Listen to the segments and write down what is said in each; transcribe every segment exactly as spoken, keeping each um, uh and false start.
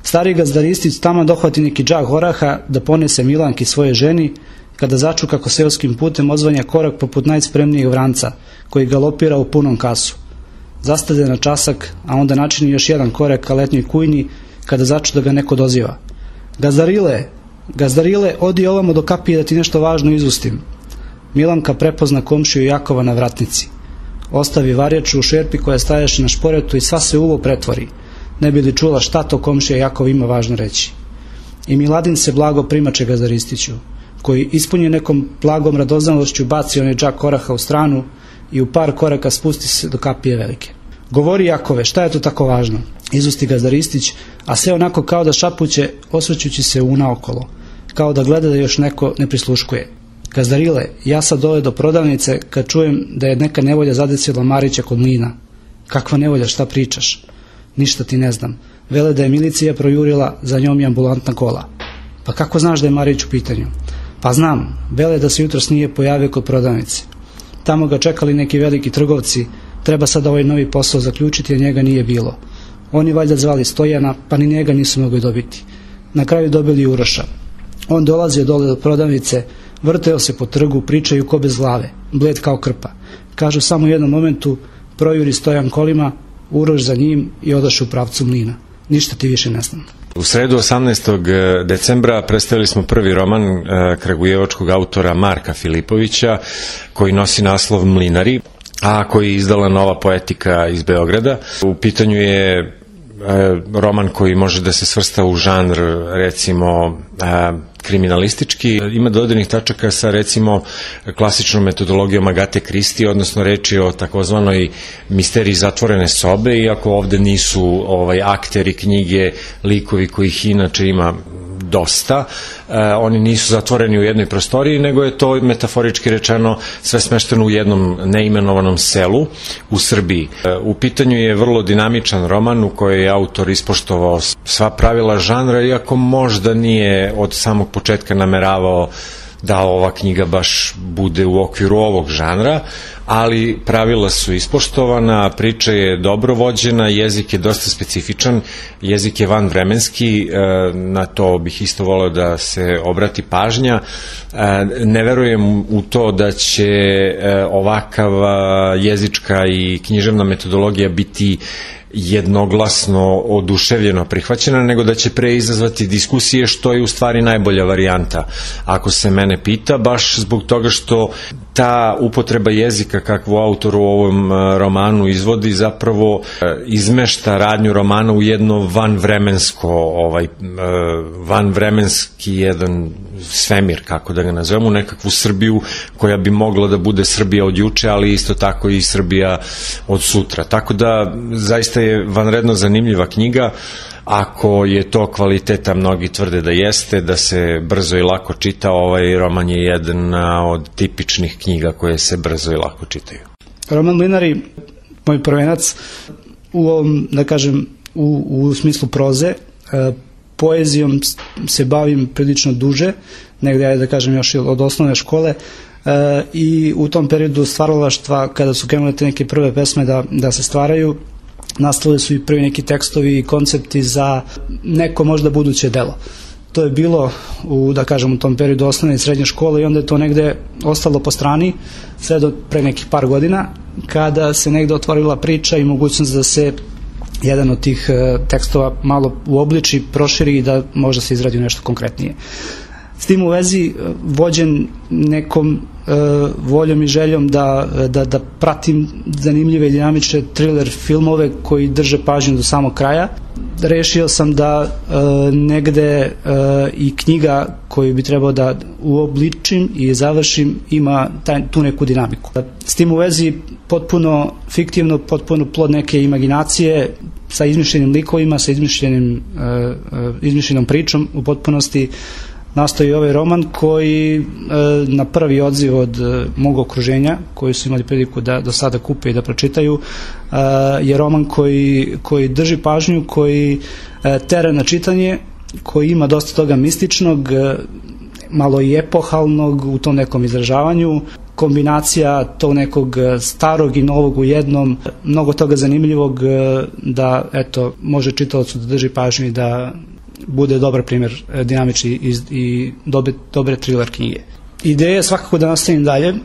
Stari gazdaristić tamo dohvati neki džak oraha da ponese Milanki svoje ženi, kada začu kako seoskim putem odzvanja korak poput najspremnijeg vranca, koji galopira u punom kasu. Zastade na časak, a onda načini još jedan korak ka letnjoj kujni, kada začu da ga neko doziva. Gazdarile, gazdarile, odi ovamo do kapije da ti nešto važno izustim. Milanka prepozna komšiju Jakova na vratnici. Ostavi varjaču u šerpi koja stajaše na šporetu i sva se uvo pretvori, ne bi li čula šta to komšija Jakov ima važno reći. I Miladin se blago primače gazdaristiću, koji ispunje nekom blagom radoznalošću baci onaj džak oraha u stranu i u par koraka spusti se do kapije velike. Govori Jakove, šta je to tako važno? Izusti gazdaristić, a sve onako kao da šapuće, osvrćući se unaokolo, kao da gleda da još neko ne prisluškuje. Gazdarile, ja sad dole do prodavnice kad čujem da je neka nevolja zadesila Marića kod mlina. Kakva nevolja, šta pričaš? Ništa ti ne znam. Vele da je milicija projurila, za njom i ambulantna kola. Pa kako znaš da je Marić u pitanju? Pa znam, vele da se jutros nije pojavio kod prodavnice. Tamo ga čekali neki veliki trgovci, treba sad ovaj novi posao zaključiti, a njega nije bilo. Oni valjda zvali Stojana, pa ni njega nisu mogli dobiti. Na kraju dobili Uroša. On dolazio dole do prodavnice, vrteo se po trgu, pričaju ko bez glave, bled kao krpa. Kažu samo u jednom momentu, projuri Stojan kolima, Uroš za njim i odoše u pravcu mlina. Ništa ti više ne znam. U sredu osamnaestog decembra predstavili smo prvi roman kragujevačkog autora Marka Filipovića, koji nosi naslov Mlinari, a koji je izdala Nova poetika iz Beograda. U pitanju je roman koji može da se svrsta u žanr, recimo, kriminalistički. Ima dodirnih tačaka sa, recimo, klasičnom metodologijom Agate Kristi, odnosno reči o takozvanoj misteriji zatvorene sobe, iako ovde nisu ovaj, akteri knjige, likovi kojih inače ima dosta. E, oni nisu zatvoreni u jednoj prostoriji, nego je to metaforički rečeno sve smešteno u jednom neimenovanom selu u Srbiji. E, u pitanju je vrlo dinamičan roman u kojoj je autor ispoštovao sva pravila žanra, iako možda nije od samog početka nameravao da ova knjiga baš bude u okviru ovog žanra, ali pravila su ispoštovana, priča je dobro vođena, jezik je dosta specifičan, jezik je vanvremenski, na to bih isto voleo da se obrati pažnja. Ne verujem u to da će ovakav jezička i književna metodologija biti jednoglasno oduševljeno prihvaćena, nego da će pre izazvati diskusije, što je u stvari najbolja varijanta. Ako se mene pita, baš zbog toga što ta upotreba jezika kakvu autor u ovom romanu izvodi zapravo izmešta radnju romana u jedno vanvremensko, ovaj, vanvremenski jedan svemir, kako da ga nazovemo, nekakvu Srbiju koja bi mogla da bude Srbija od juče, ali isto tako i Srbija od sutra. Tako da zaista je vanredno zanimljiva knjiga. Ako je to kvaliteta, mnogi tvrde da jeste, da se brzo i lako čita, ovaj roman je jedan od tipičnih knjiga koje se brzo i lako čitaju. Roman Mlinari, moj prvenac, u ovom, da kažem, u, u smislu proze, poezijom se bavim prilično duže, negde, ja da kažem, još od osnovne škole, i u tom periodu stvaralaštva, kada su krenule te neke prve pesme da, da se stvaraju, nastale su i prvi neki tekstovi i koncepti za neko možda buduće delo. To je bilo u, da kažem, u tom periodu osnovne i srednje škole i onda je to negde ostalo po strani sve do pre nekih par godina, kada se negde otvorila priča i mogućnost da se jedan od tih tekstova malo uobliči, proširi i da možda se izradi nešto konkretnije. S tim u vezi, vođen nekom uh, voljom i željom da, da, da pratim zanimljive i dinamične thriller filmove koji drže pažnju do samog kraja, rešio sam da uh, negde uh, i knjiga koju bi trebao da uobličim i završim ima taj, tu neku dinamiku. S tim u vezi, potpuno fiktivno, potpuno plod neke imaginacije, sa izmišljenim likovima, sa izmišljenim, uh, uh, izmišljenom pričom u potpunosti nastoji ovaj roman koji e, na prvi odziv od e, mog okruženja, koji su imali priliku da do sada kupe i da pročitaju, e, je roman koji, koji drži pažnju, koji e, tera na čitanje, koji ima dosta toga mističnog, e, malo i epohalnog u tom nekom izražavanju, kombinacija tog nekog starog i novog u jednom, mnogo toga zanimljivog da, eto, može čitaocu da drži pažnju i da bude dobar primjer dinamični i, i dobre, dobre thriller knjige. Ideja je svakako da nastavim dalje, e,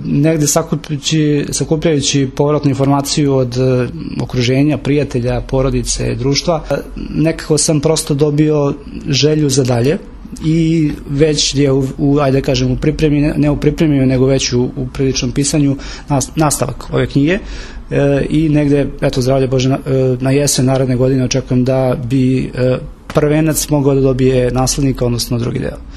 negde sakupljajući, sakupljajući povratnu informaciju od e, okruženja, prijatelja, porodice, društva. E, nekako sam prosto dobio želju za dalje i već je u, u ajde kažem, u pripremi, ne u pripremi, nego već u, u priličnom pisanju nastavak ove knjige. E, i negde, eto, zdravlje Bože, na, na jesen naredne godine očekujem da bi e, prvenac mogao da dobije naslednika, odnosno drugi deo.